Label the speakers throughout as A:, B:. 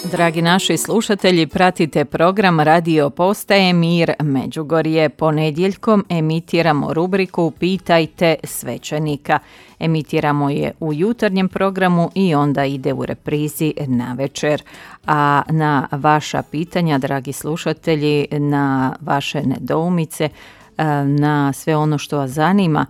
A: Dragi naši slušatelji, pratite program Radio Postaje Mir Međugorje. Ponedjeljkom emitiramo rubriku Pitajte svećenika. Emitiramo je u jutarnjem programu i onda ide u reprizi navečer. A na vaša pitanja, dragi slušatelji, na vaše nedoumice, na sve ono što vas zanima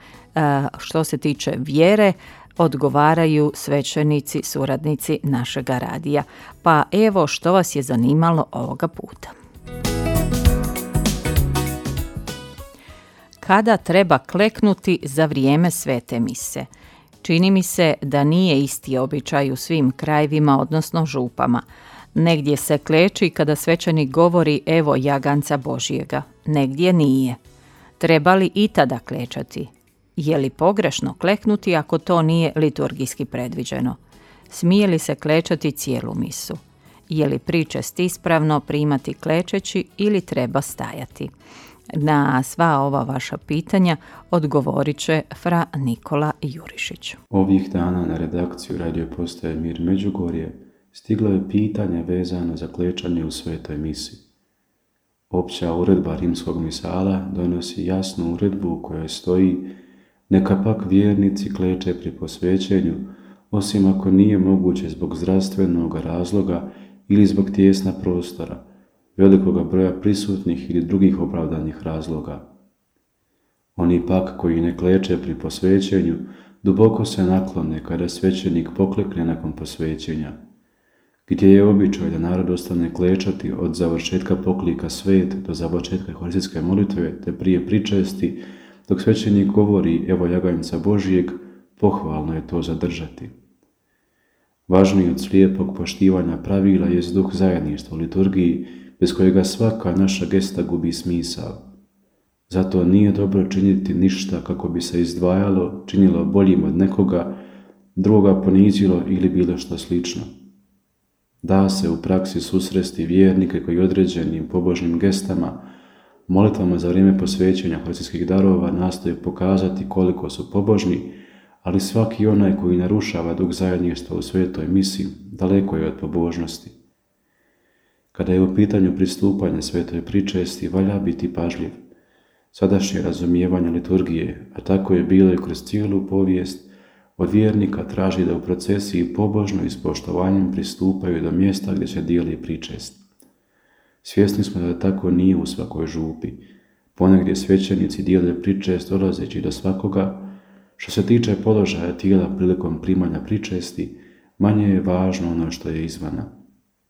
A: što se tiče vjere, odgovaraju svećenici, suradnici našega radija. Pa evo što vas je zanimalo ovoga puta. Kada treba kleknuti za vrijeme svete mise? Čini mi se da nije isti običaj u svim krajevima, odnosno župama. Negdje se kleči kada svećenik govori evo jaganca Božjega, negdje nije. Treba li i tada klečati? Je li pogrešno kleknuti ako to nije liturgijski predviđeno? Smije li se klečati cijelu misu? Je li pričest ispravno primati klečeći ili treba stajati? Na sva ova vaša pitanja odgovorit će fra Nikola Jurišić.
B: Ovih dana na redakciju Radio Postaje Mir Međugorje stiglo je pitanje vezano za klečanje u svetoj misi. Opća uredba rimskog misala donosi jasnu uredbu u kojoj stoji: neka pak vjernici kleče pri posvećenju, osim ako nije moguće zbog zdravstvenog razloga ili zbog tijesna prostora, velikoga broja prisutnih ili drugih opravdanih razloga. Oni pak koji ne kleče pri posvećenju, duboko se naklone kada svećenik poklekne nakon posvećenja. Gdje je običaj da narod ostane klečati od završetka poklika svet do završetka euharistijske molitve te prije pričesti, dok svećenik govori evo jaganjca Božijeg, pohvalno je to zadržati. Važniji od slijepog poštivanja pravila jest duh zajedništva u liturgiji, bez kojega svaka naša gesta gubi smisao. Zato nije dobro činiti ništa kako bi se izdvajalo, činilo boljim od nekoga, drugoga ponizilo ili bilo što slično. Da se u praksi susresti vjernike koji određenim pobožnim gestama, molitvama za vrijeme posvećenja euharistijskih darova nastoje pokazati koliko su pobožni, ali svaki onaj koji narušava duh zajedništva u svetoj misi daleko je od pobožnosti. Kada je u pitanju pristupanje svetoj pričesti, valja biti pažljiv. Sadašnje razumijevanje liturgije, a tako je bilo i kroz cijelu povijest, od vjernika traži da u procesiji pobožno i s poštovanjem pristupaju do mjesta gdje se dijeli pričest. Svjesni smo da tako nije u svakoj župi. Ponegdje svećenici dijele pričest dolazeći do svakoga. Što se tiče položaja tijela prilikom primanja pričesti, manje je važno ono što je izvana.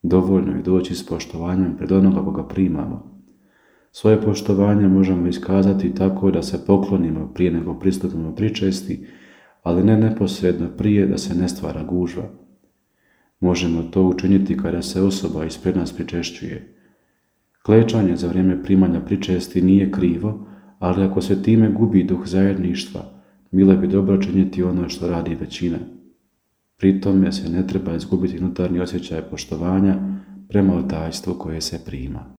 B: Dovoljno je doći s poštovanjem pred onoga koga primamo. Svoje poštovanje možemo iskazati tako da se poklonimo prije nego pristupimo pričesti, ali ne neposredno prije da se ne stvara gužva. Možemo to učiniti kada se osoba ispred nas pričešćuje. Klečanje za vrijeme primanja pričesti nije krivo, ali ako se time gubi duh zajedništva, bilo bi dobro činiti ono što radi većina. Pri tome se ne treba izgubiti unutarnji osjećaj poštovanja prema otajstvu koje se prima.